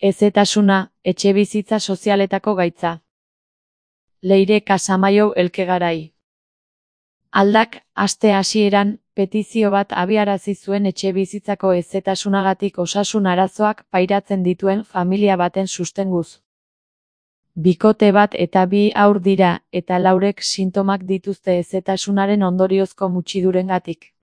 Hezetasuna, etxebizitza sozialetako gaitza. Leire Casamaiu Elkegarai. Aldak, aste hasieran, petizio bat abiarazi zuen etxebizitzako hezetasunagatik osasun arazoak pairatzen dituen familia baten sustenguz. Bikote bat eta 2 haur dira, eta laurek sintomak dituzte hezetasunaren ondoriozko mutxidurengatik.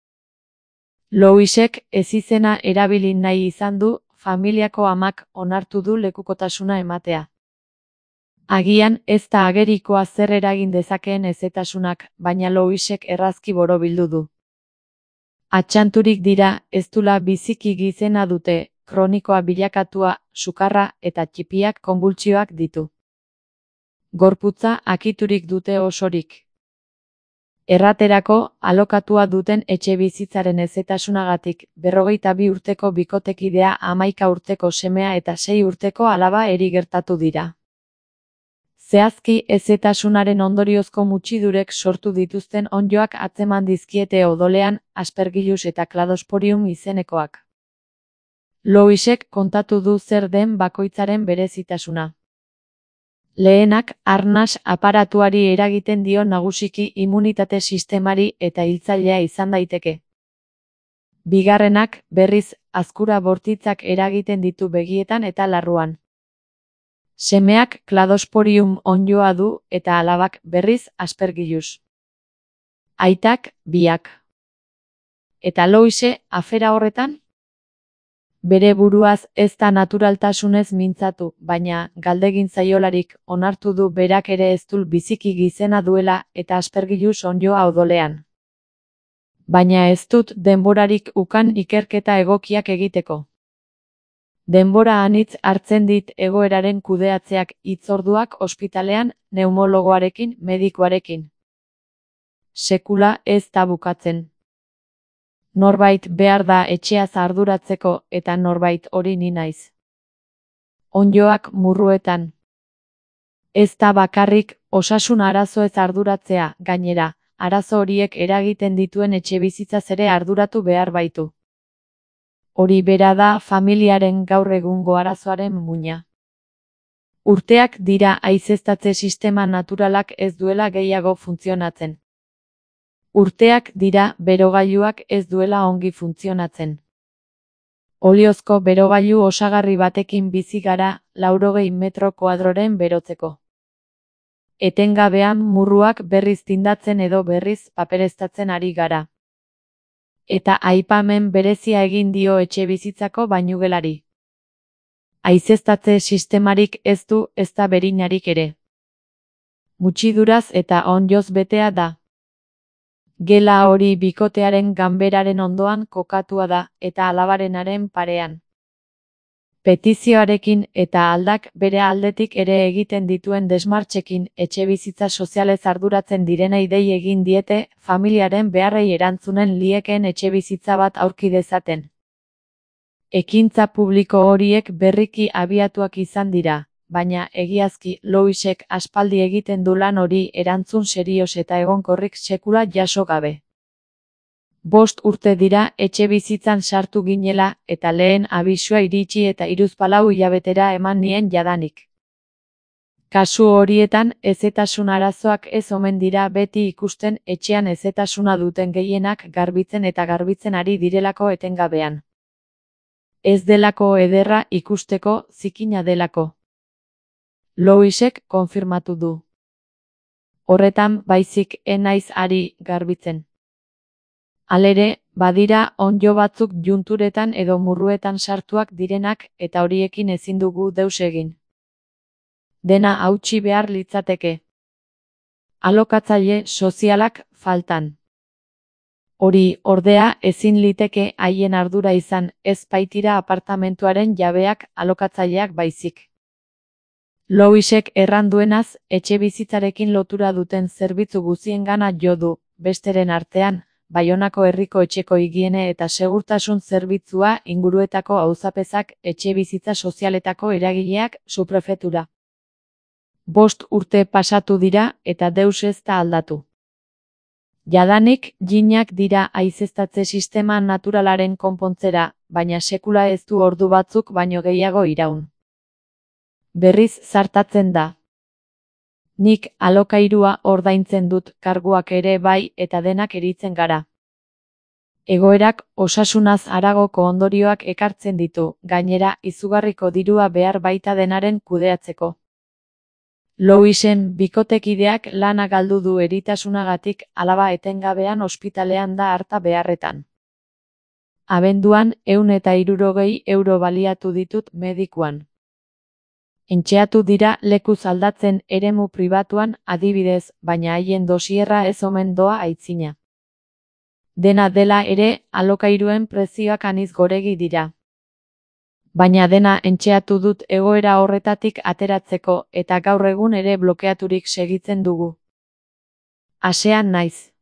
Louisek ezizena erabili nahi izan du, familiako amak onartu du lekukotasuna ematea. Agian ez da agerikoa zer eragin dezakeen hezetasunak, baina Louisek errazki borobildu du. Atxanturik dira, ez dula biziki gizena dute, kronikoa bilakatua, sukarra eta txipiak konbultsioak ditu. Gorputza akiturik dute osorik. Erraterako, alokatua duten etxebizitzaren hezetasunagatik, 52 urteko bikotekidea, 11 urteko semea eta 6 urteko alaba eri gertatu dira. Zehazki, hezetasunaren ondoriozko mutxidurek sortu dituzten onddoak atzeman dizkiete odolean, Aspergillus eta Cladosporium izenekoak. Louisek kontatu du zer den bakoitzaren berezitasuna. Lehenak, arnas aparatuari eragiten dio nagusiki immunitate sistemari eta hiltzailea izan daiteke. Bigarrenak, berriz, azkura bortitzak eragiten ditu begietan eta larruan. Semeak Cladosporium onddoa du eta alabak, berriz, Aspergillus. Aitak, biak. Eta Louise, afera horretan? Bere buruaz ez da naturaltasunez mintzatu, baina, galdegin zaiolarik, onartu du berak ere ez dul biziki gizena duela eta Aspergillus onddoa odolean. Baina ez dut denborarik ukan ikerketa egokiak egiteko. Denbora anitz hartzen dit egoeraren kudeatzeak, hitzorduak ospitalean, neumologoarekin, medikuarekin. Sekula ez da bukatzen. Norbait behar da etxeaz arduratzeko eta norbait hori ni naiz. Onddoak murruetan. Ez da bakarrik, osasun arazoez arduratzea, gainera, arazo horiek eragiten dituen etxebizitzaz ere arduratu behar baitu. Hori bera da familiaren gaur egungo arazoaren muina. Urteak dira haizeztatze sistema naturalak ez duela gehiago funtzionatzen. Urteak dira berogailuak ez duela ongi funtzionatzen. Oliozko berogailu osagarri batekin bizi gara 80 metro koadroren berotzeko. Etengabean murruak berriz tindatzen edo berriz papereztatzen ari gara. Eta aipamen berezia egin dio etxebizitzako bainugelari. Haizeztatze sistemarik ez du, ez da berinarik ere. Mutxiduraz eta onddoz betea da. Gela hori bikotearen ganberaren ondoan kokatua da, eta alabarenaren parean. Petizioarekin eta aldak bere aldetik ere egiten dituen desmartxekin etxebizitza sozialez arduratzen direnei dei egin diete, familiaren beharrei erantzunen liekeen etxebizitza bat aurki dezaten. Ekintza publiko horiek berriki abiatuak izan dira, baina egiazki Louisek aspaldi egiten du lan hori erantzun serioz eta egonkorrik sekula jaso gabe. 5 urte dira etxebizitzan sartu ginela eta lehen abisua iritsi eta 34 hilabetera eman nien jadanik. Kasu horietan hezetasun arazoak ez omen dira beti ikusten etxean hezetasuna duten gehienak garbitzen eta garbitzen ari direlako etengabean. Ez delako ederra ikusteko, zikina delako. Louisek konfirmatu du. Horretan baizik naiz ari garbitzen. Halere, badira onddo batzuk junturetan edo murruetan sartuak direnak eta horiekin ezin dugu deus egin. Dena hautsi behar litzateke. Alokatzaile sozialak faltan. Hori, ordea, ezin liteke haien ardura izan, ez baitira apartamentuaren jabeak alokatzaileak baizik. Louisek erran duenaz, etxebizitzarekin lotura duten zerbitzu guziengana jo du, besteren artean, Baionako herriko etxeko higiene eta segurtasun zerbitzua, inguruetako auzapezak, etxebizitza sozialetako eragileak, subprefetura. 5 urte pasatu dira eta deus ez da aldatu. Jadanik, jinak dira haizeztatze sistema naturalaren konpontzera, baina sekula ez du ordu batzuk baino gehiago iraun. Berriz zartatzen da. Nik alokairua ordaintzen dut, karguak ere bai, eta denak eritzen gara. Egoerak osasunaz haragoko ondorioak ekartzen ditu, gainera izugarriko dirua behar baita denaren kudeatzeko. Louisen bikotekideak lana galdu du eritasunagatik, alaba etengabean ospitalean da harta beharretan. Abenduan 160 euro baliatu ditut medikuan. Entxeatu dira lekuz aldatzen eremu pribatuan, adibidez, baina haien dosierra ez omen doa aitzina. Dena dela ere, alokairuen prezioak aniz goregi dira. Baina dena entxeatu dut egoera horretatik ateratzeko, eta gaur egun ere blokeaturik segitzen dugu. Hasean naiz.